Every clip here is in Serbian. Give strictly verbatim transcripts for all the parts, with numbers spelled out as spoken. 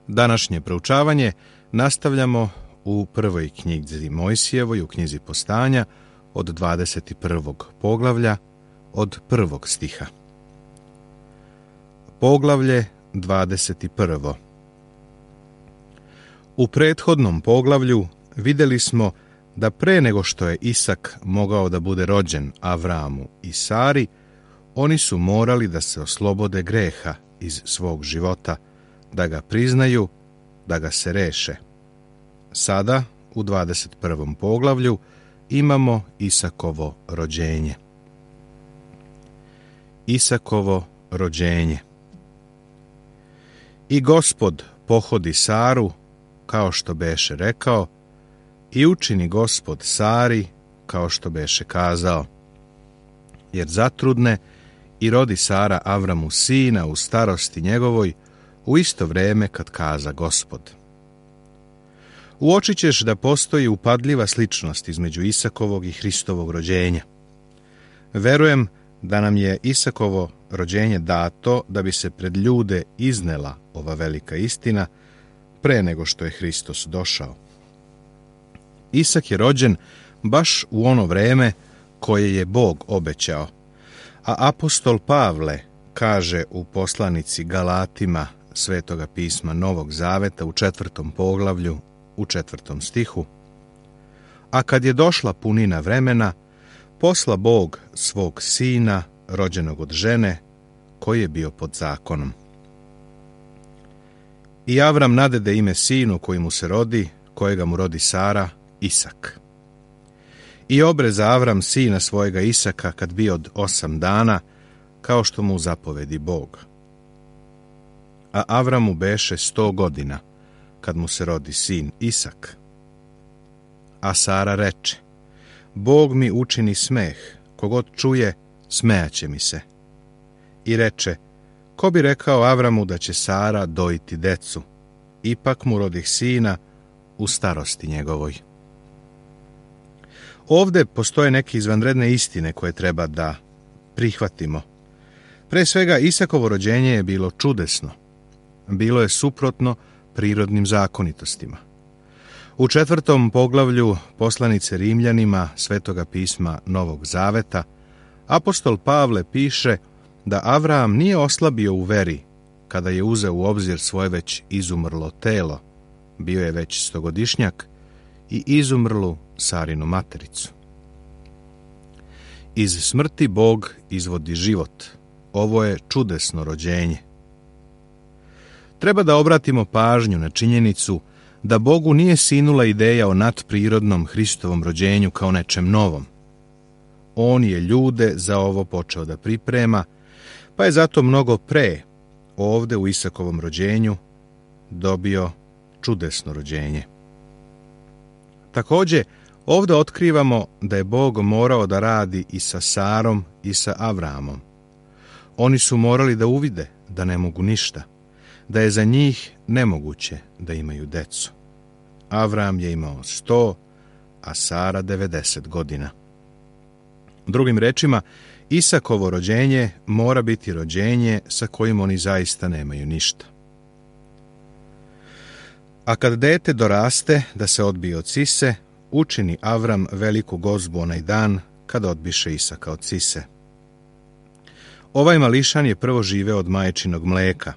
Današnje proučavanje nastavljamo u prvoj knjizi Mojsijevoj, u knjizi Postanja, od dvadeset prvog poglavlja, od prvog stiha. Poglavlje dvadeset prvo. U prethodnom poglavlju vidjeli smo da pre nego što je Isak mogao da bude rođen Avramu i Sari, oni su morali da se oslobode greha iz svog života, da ga priznaju, da ga se reše. Sada, u dvadeset prvom poglavlju, imamo Isakovo rođenje. Isakovo rođenje. I Gospod pohodi Saru, kao što beše rekao, i učini Gospod Sari, kao što beše kazao. Jer zatrudne i rodi Sara Avramu sina u starosti njegovoj, u isto vreme kad kaza Gospod. Uočit ćeš da postoji upadljiva sličnost između Isakovog i Hristovog rođenja. Verujem da nam je Isakovo rođenje dato da bi se pred ljude iznela ova velika istina pre nego što je Hristos došao. Isak je rođen baš u ono vreme koje je Bog obećao, a apostol Pavle kaže u poslanici Galatima Svetoga pisma Novog Zaveta u četvrtom poglavlju, u četvrtom stihu: a kad je došla punina vremena, posla Bog svog sina, rođenog od žene, koji je bio pod zakonom. I Avram nadede ime sinu koji mu se rodi, kojega mu rodi Sara, Isak. I obreza Avram sina svojega Isaka kad bio od osam dana, kao što mu zapovedi Bog. A Avramu beše sto godina, kad mu se rodi sin Isak. A Sara reče: Bog mi učini smeh, kogod čuje, smejaće mi se. I reče: ko bi rekao Avramu da će Sara dojiti decu? Ipak mu rodih sina u starosti njegovoj. Ovde postoje neke izvanredne istine koje treba da prihvatimo. Pre svega, Isakovo rođenje je bilo čudesno. Bilo je suprotno prirodnim zakonitostima. U četvrtom poglavlju poslanice Rimljanima Svetoga pisma Novog Zaveta apostol Pavle piše da Avram nije oslabio u veri kada je uzeo u obzir svoje već izumrlo telo, bio je već stogodišnjak, i izumrlu Sarinu matericu. Iz smrti Bog izvodi život. Ovo je čudesno rođenje. Treba da obratimo pažnju na činjenicu da Bogu nije sinula ideja o nadprirodnom Hristovom rođenju kao nečem novom. On je ljude za ovo počeo da priprema, pa je zato mnogo pre, ovde u Isakovom rođenju, dobio čudesno rođenje. Takođe, ovde otkrivamo da je Bog morao da radi i sa Sarom i sa Avramom. Oni su morali da uvide da ne mogu ništa, da je za njih nemoguće da imaju decu. Avram je imao sto, a Sara devedeset godina. Drugim rečima, Isakovo rođenje mora biti rođenje sa kojim oni zaista nemaju ništa. A kad dete doraste da se odbije od sise, učini Avram veliku gozbu onaj dan kad odbiše Isaka od sise. Ovaj mališan je prvo živeo od majčinog mleka,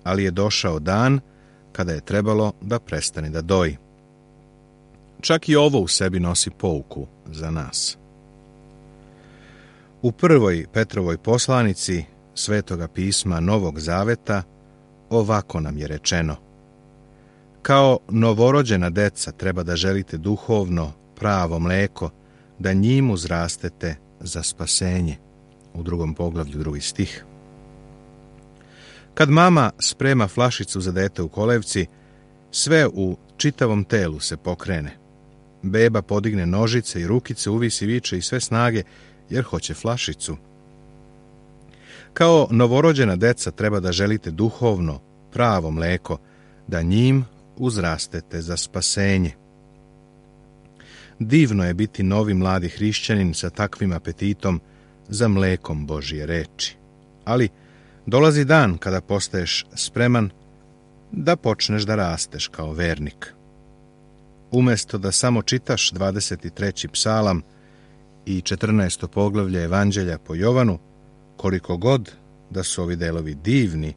ali je došao dan kada je trebalo da prestane da doji. Čak i ovo u sebi nosi pouku za nas. U prvoj Petrovoj poslanici Svetoga pisma Novog Zaveta ovako nam je rečeno: kao novorođena deca treba da želite duhovno, pravo mleko, da njim uzrastete za spasenje. U drugom poglavlju, drugi stih. Kad mama sprema flašicu za dete u kolevci, sve u čitavom telu se pokrene. Beba podigne nožice i rukice, uvisi, viče i sve snage, jer hoće flašicu. Kao novorođena deca treba da želite duhovno, pravo mleko, da njim uzrastete za spasenje. Divno je biti novi mladi hrišćanin sa takvim apetitom za mlekom Božje reči. Ali dolazi dan kada postaješ spreman da počneš da rasteš kao vernik. Umjesto da samo čitaš dvadeset treći psalam i četrnaesto poglavlje Evanđelja po Jovanu, koliko god da su ovi delovi divni,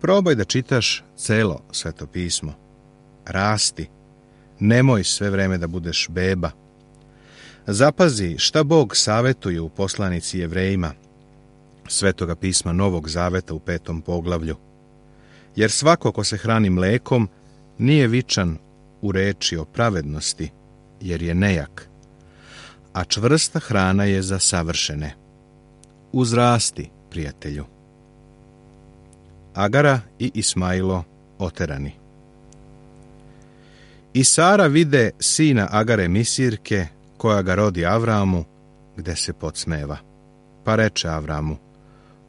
probaj da čitaš celo Sveto pismo. Rasti. Nemoj sve vreme da budeš beba. Zapazi šta Bog savetuje u poslanici Jevrejima, Svetoga pisma Novog Zaveta u petom poglavlju. Jer svako ko se hrani mlekom nije vičan u reči o pravednosti, jer je nejak, a čvrsta hrana je za savršene. Uzrasti, prijatelju. Agara i Ismailo oterani. I Sara vide sina Agare Misirke, koja ga rodi Avramu, gde se podsmeva. Pa reče Avramu,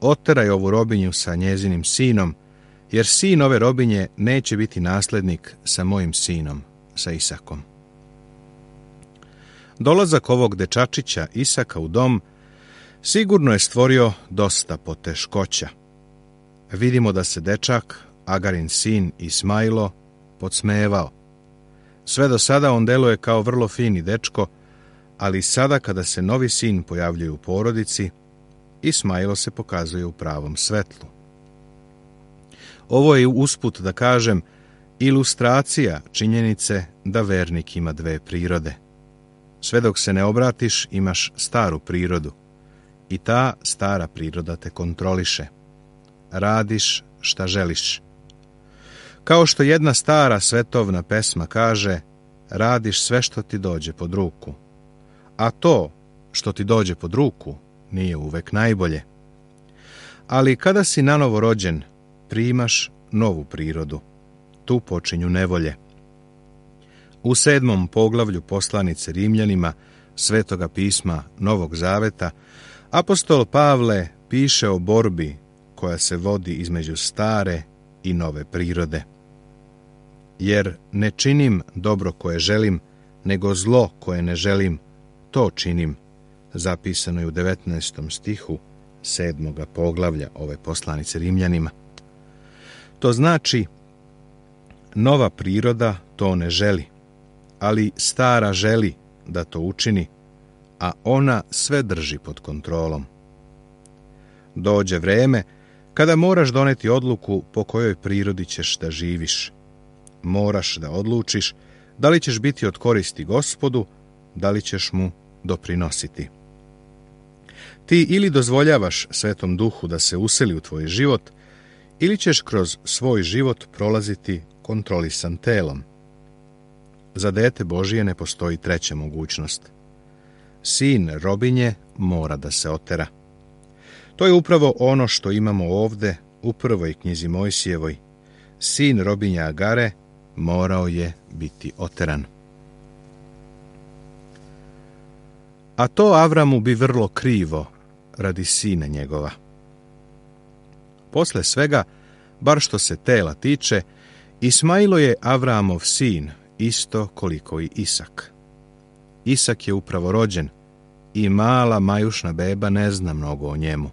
oteraj ovu robinju sa njezinim sinom, jer sin ove robinje neće biti naslednik sa mojim sinom, sa Isakom. Dolazak ovog dečačića Isaka u dom sigurno je stvorio dosta poteškoća. Vidimo da se dečak, Agarin sin Ismailo, podsmevao. Sve do sada on deluje kao vrlo fini dečko, ali sada kada se novi sin pojavljuje u porodici, Ismailo se pokazuje u pravom svetlu. Ovo je usput, da kažem, ilustracija činjenice da vernik ima dve prirode. Sve dok se ne obratiš, imaš staru prirodu i ta stara priroda te kontroliše. Radiš šta želiš. Kao što jedna stara svetovna pesma kaže, radiš sve što ti dođe pod ruku. A to što ti dođe pod ruku nije uvek najbolje. Ali kada si nanovo rođen, primaš novu prirodu. Tu počinju nevolje. U sedmom poglavlju poslanice Rimljanima Svetoga pisma Novog Zaveta, apostol Pavle piše o borbi koja se vodi između stare i nove prirode. Jer ne činim dobro koje želim, nego zlo koje ne želim, to činim, zapisano je u devetnaestom stihu sedmoga poglavlja ove poslanice Rimljanima. To znači, nova priroda to ne želi, ali stara želi da to učini, a ona sve drži pod kontrolom. Dođe vreme kada moraš doneti odluku po kojoj prirodi ćeš da živiš. Moraš da odlučiš da li ćeš biti od koristi Gospodu, da li ćeš mu doprinositi. Ti ili dozvoljavaš Svetom Duhu da se useli u tvoj život, ili ćeš kroz svoj život prolaziti kontrolisan telom. Za dete Božije ne postoji treća mogućnost. Sin robinje mora da se otera. To je upravo ono što imamo ovde u prvoj knjizi Mojsijevoj. Sin robinja Agare morao je biti oteran. A to Avramu bi vrlo krivo radi sina njegova. Posle svega, bar što se tela tiče, Ismailo je Avramov sin, isto koliko i Isak. Isak je upravo rođen i mala majušna beba ne zna mnogo o njemu.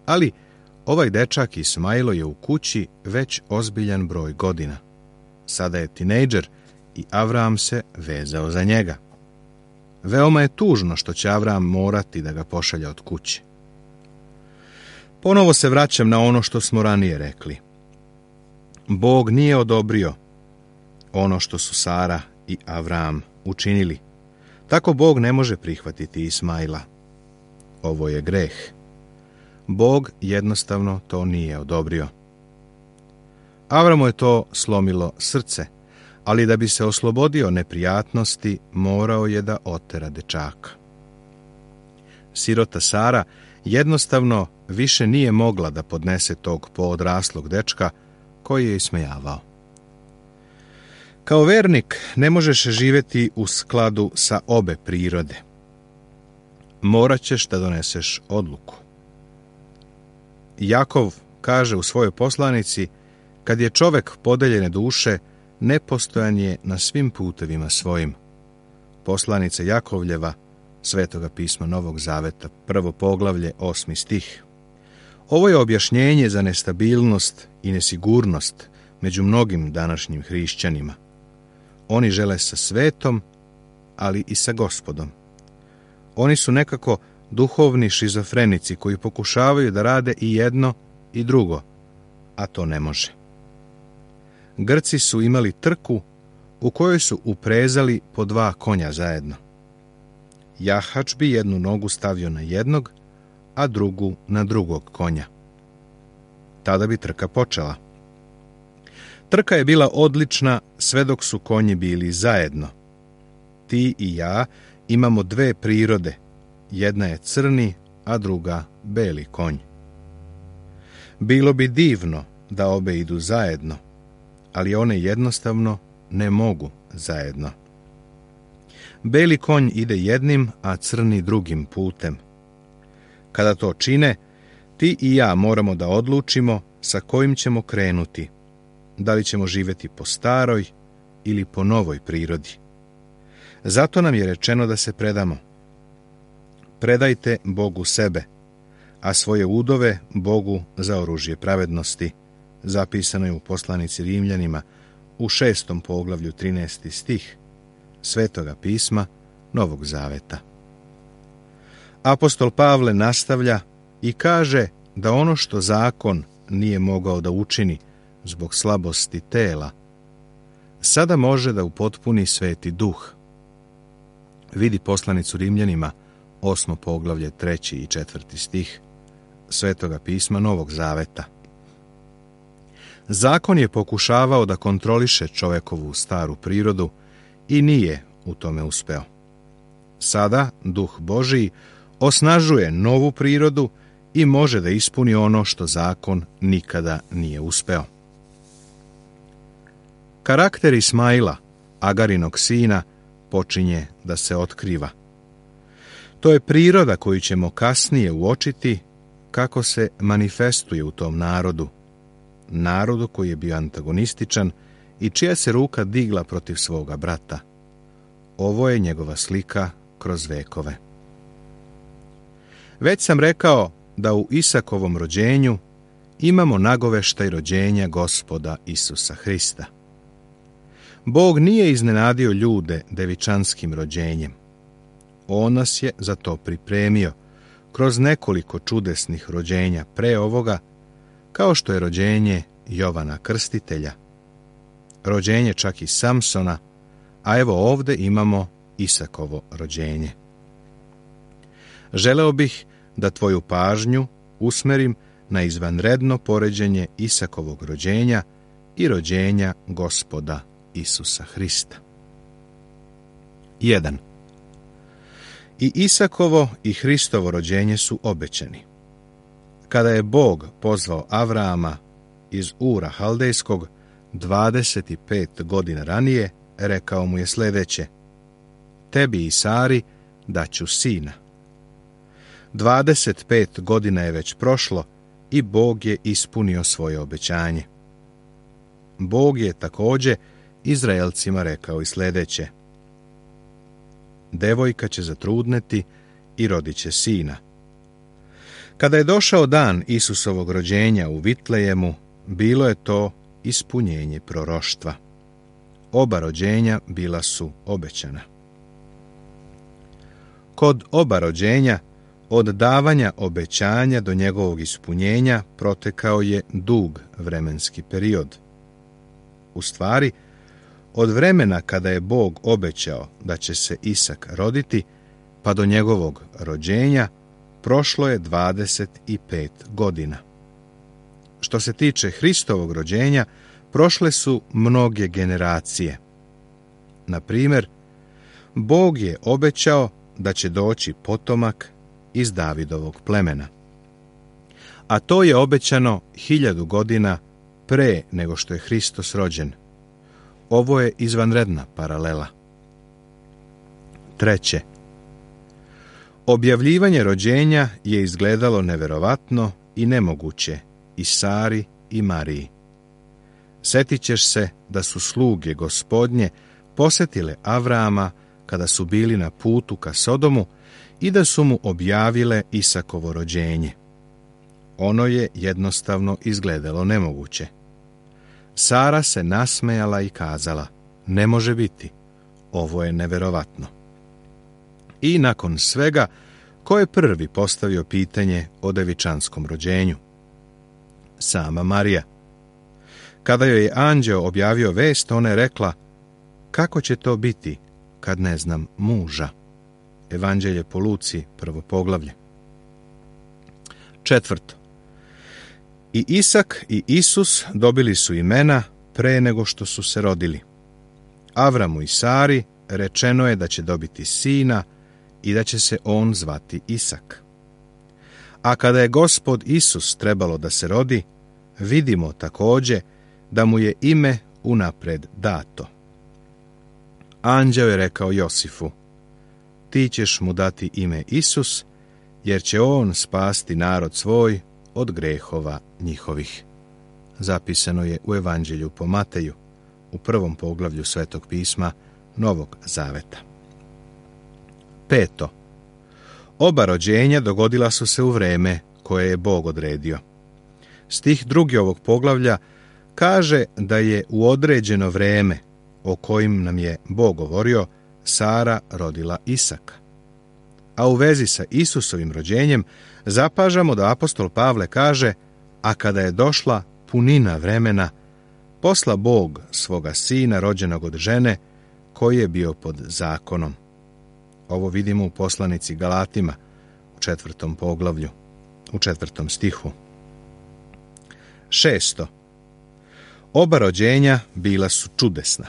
Ali ovaj dečak Ismailo je u kući već ozbiljan broj godina. Sada je tinejdžer i Avram se vezao za njega. Veoma je tužno što će Avram morati da ga pošalja od kuće. Ponovo se vraćam na ono što smo ranije rekli. Bog nije odobrio ono što su Sara i Avram učinili. Tako Bog ne može prihvatiti Ismaila. Ovo je greh. Bog jednostavno to nije odobrio. Avramu je to slomilo srce, ali da bi se oslobodio neprijatnosti, morao je da otera dečaka. Sirota Sara jednostavno više nije mogla da podnese tog poodraslog dečka koji je ismejavao. Kao vernik ne možeš živjeti u skladu sa obe prirode. Morat ćeš da doneseš odluku. Jakov kaže u svojoj poslanici, kad je čovek podeljene duše, nepostojan je na svim putevima svojim. Poslanica Jakovljeva, Svetoga pisma Novog Zaveta, prvo poglavlje, osmi stih. Ovo je objašnjenje za nestabilnost i nesigurnost među mnogim današnjim hrišćanima. Oni žele sa svetom, ali i sa Gospodom. Oni su nekako duhovni šizofrenici koji pokušavaju da rade i jedno i drugo, a to ne može. Grci su imali trku u kojoj su uprezali po dva konja zajedno. Jahač bi jednu nogu stavio na jednog, a drugu na drugog konja. Tada bi trka počela. Trka je bila odlična sve dok su konji bili zajedno. Ti i ja imamo dve prirode. Jedna je crni, a druga beli konj. Bilo bi divno da obe idu zajedno, ali one jednostavno ne mogu zajedno. Beli konj ide jednim, a crni drugim putem. Kada to čine, ti i ja moramo da odlučimo sa kojim ćemo krenuti, da li ćemo živjeti po staroj ili po novoj prirodi. Zato nam je rečeno da se predamo. Predajte Bogu sebe, a svoje udove Bogu za oružje pravednosti, zapisano je u poslanici Rimljanima u šestom poglavlju trinaesti stih Svetoga pisma Novog Zaveta. Apostol Pavle nastavlja i kaže da ono što zakon nije mogao da učini zbog slabosti tela, sada može da upotpuni Sveti Duh. Vidi poslanicu Rimljanima, osmo poglavlje, treći i četvrti stih Svetoga pisma Novog Zaveta. Zakon je pokušavao da kontroliše čovekovu staru prirodu i nije u tome uspeo. Sada Duh Božiji osnažuje novu prirodu i može da ispuni ono što zakon nikada nije uspeo. Karakter Ismaila, Agarinog sina, počinje da se otkriva. To je priroda koju ćemo kasnije uočiti kako se manifestuje u tom narodu, narodu koji je bio antagonističan i čija se ruka digla protiv svoga brata. Ovo je njegova slika kroz vekove. Već sam rekao da u Isakovom rođenju imamo nagoveštaj rođenja Gospoda Isusa Hrista. Bog nije iznenadio ljude devičanskim rođenjem. On nas je za to pripremio kroz nekoliko čudesnih rođenja pre ovoga, kao što je rođenje Jovana Krstitelja, rođenje čak i Samsona, a evo ovde imamo Isakovo rođenje. Želeo bih da tvoju pažnju usmerim na izvanredno poređenje Isakovog rođenja i rođenja Gospoda Isusa Hrista. jedan. I Isakovo i Hristovo rođenje su obećani. Kada je Bog pozvao Avraama iz Ura Haldejskog dvadeset pet godina ranije, rekao mu je sljedeće: tebi i Sari daću sina. dvadeset pet godina je već prošlo i Bog je ispunio svoje obećanje. Bog je također Izraelcima rekao i sljedeće: devojka će zatrudneti i rodit će sina. Kada je došao dan Isusovog rođenja u Vitlejemu, bilo je to ispunjenje proroštva. Oba rođenja bila su obećana. Kod oba rođenja, od davanja obećanja do njegovog ispunjenja protekao je dug vremenski period. U stvari, od vremena kada je Bog obećao da će se Isak roditi, pa do njegovog rođenja, prošlo je dvadeset pet godina. Što se tiče Hristovog rođenja, prošle su mnoge generacije. Na primjer, Bog je obećao da će doći potomak iz Davidovog plemena. A to je obećano hiljadu godina pre nego što je Hristos rođen. Ovo je izvanredna paralela. Treće. Objavljivanje rođenja je izgledalo neverovatno i nemoguće i Sari i Mariji. Setit ćeš se da su sluge Gospodnje posjetile Avraama kada su bili na putu ka Sodomu i da su mu objavile Isakovo rođenje. Ono je jednostavno izgledalo nemoguće. Sara se nasmejala i kazala: ne može biti, ovo je neverovatno. I nakon svega, ko je prvi postavio pitanje o devičanskom rođenju? Sama Marija. Kada joj je anđeo objavio vest, ona je rekla: kako će to biti kad ne znam muža? Evanđelje po Luci, prvo poglavlje. Četvrto. I Isak i Isus dobili su imena pre nego što su se rodili. Avramu i Sari rečeno je da će dobiti sina i da će se on zvati Isak. A kada je Gospod Isus trebalo da se rodi, vidimo također da mu je ime unapred dato. Anđeo je rekao Josifu: ti ćeš mu dati ime Isus, jer će on spasti narod svoj od grehova njihovih. Zapisano je u Evanđelju po Mateju, u prvom poglavlju Svetog pisma Novog Zaveta. Peto. Oba rođenja dogodila su se u vreme koje je Bog odredio. Stih drugi ovog poglavlja kaže da je u određeno vreme o kojim nam je Bog govorio, Sara rodila Isaka. A u vezi sa Isusovim rođenjem zapažamo da apostol Pavle kaže: a kada je došla punina vremena, posla Bog svoga sina rođenog od žene, koji je bio pod zakonom. Ovo vidimo u poslanici Galatima, u četvrtom poglavlju, u četvrtom stihu. Šesto. Oba rođenja bila su čudesna.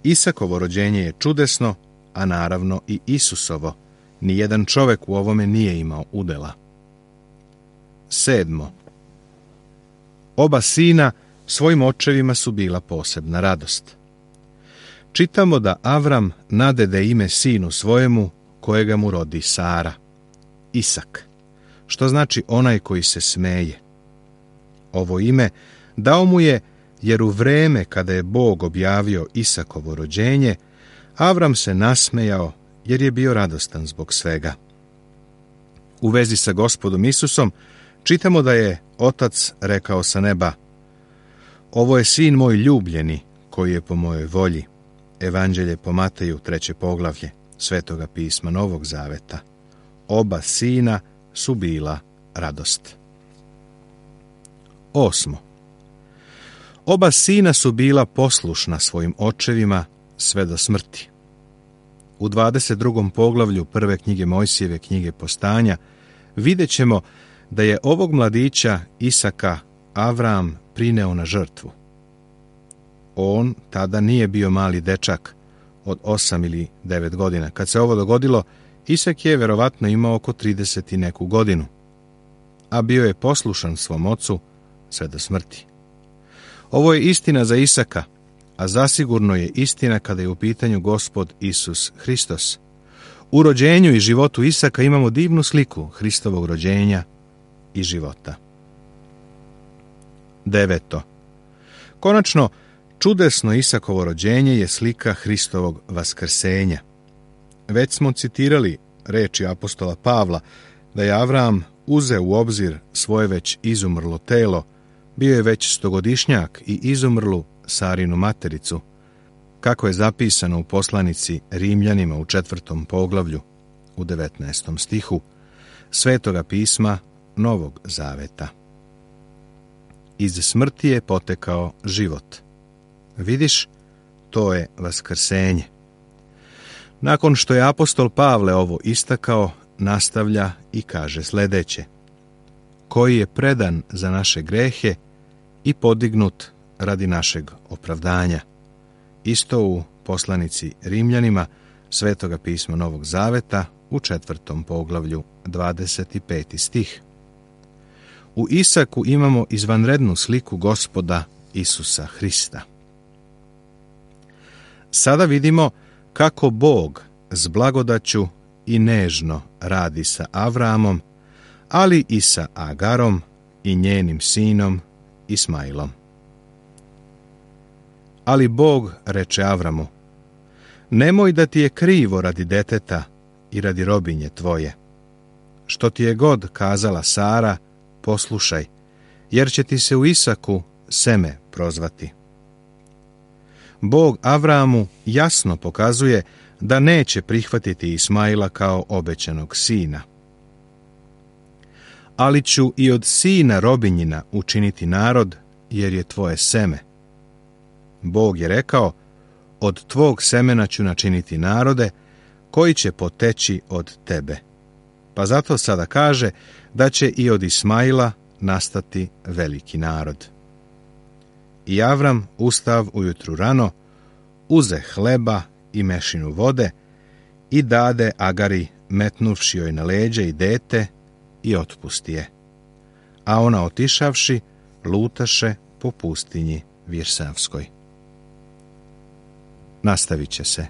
Isakovo rođenje je čudesno, a naravno i Isusovo. Nijedan čovjek u ovome nije imao udela. Sedmo. Oba sina svojim očevima su bila posebna radost. Čitamo da Avram nadede ime sinu svojemu kojega mu rodi Sara, Isak, što znači onaj koji se smeje. Ovo ime dao mu je jer u vreme kada je Bog objavio Isakovo rođenje, Avram se nasmejao jer je bio radostan zbog svega. U vezi sa Gospodom Isusom čitamo da je Otac rekao sa neba: ovo je sin moj ljubljeni, koji je po mojoj volji. Evanđelje po Mateju, treće poglavlje Svetoga pisma Novog Zaveta. Oba sina su bila radost. Osmo. Oba sina su bila poslušna svojim očevima sve do smrti. U dvadeset drugom poglavlju prve knjige Mojsijeve knjige Postanja vidjet ćemo da je ovog mladića Isaka Avram prineo na žrtvu. On tada nije bio mali dečak od osam ili devet godina. Kad se ovo dogodilo, Isak je verovatno imao oko trideset i neku godinu, a bio je poslušan svom ocu sve do smrti. Ovo je istina za Isaka, a zasigurno je istina kada je u pitanju Gospod Isus Hristos. U rođenju i životu Isaka imamo divnu sliku Hristovog rođenja i života. Deveto. Konačno, čudesno Isakovo rođenje je slika Hristovog vaskrsenja. Već smo citirali reči apostola Pavla da je Avram uzeo u obzir svoje već izumrlo telo, bio je već stogodišnjak i izumrlu Sarinu matericu, kako je zapisano u poslanici Rimljanima u četvrtom poglavlju, u devetnaestom stihu, Svetoga pisma Novog Zaveta. Iz smrti je potekao život. Vidiš, to je vaskrsenje. Nakon što je apostol Pavle ovo istakao, nastavlja i kaže sljedeće: koji je predan za naše grehe i podignut radi našeg opravdanja. Isto u poslanici Rimljanima Svetoga pisma Novog Zaveta u četvrtom poglavlju dvadeset peti stih. U Isaku imamo izvanrednu sliku Gospoda Isusa Hrista. Sada vidimo kako Bog s blagodaću i nežno radi sa Avramom, ali i sa Agarom i njenim sinom Ismailom. Ali Bog reče Avramu: nemoj da ti je krivo radi deteta i radi robinje tvoje. Što ti je god kazala Sara, poslušaj, jer će ti se u Isaku seme prozvati. Bog Avramu jasno pokazuje da neće prihvatiti Ismaila kao obećanog sina. Ali ću i od sina robinjina učiniti narod, jer je tvoje seme. Bog je rekao, od tvog semena ću načiniti narode, koji će poteći od tebe. Pa zato sada kaže da će i od Ismaila nastati veliki narod. I Avram ustav ujutru rano, uze hleba i mešinu vode i dade Agari, metnuvši joj na leđe i dete, i otpusti je. A ona otišavši, lutaše po pustinji Virsavskoj. Nastavit će se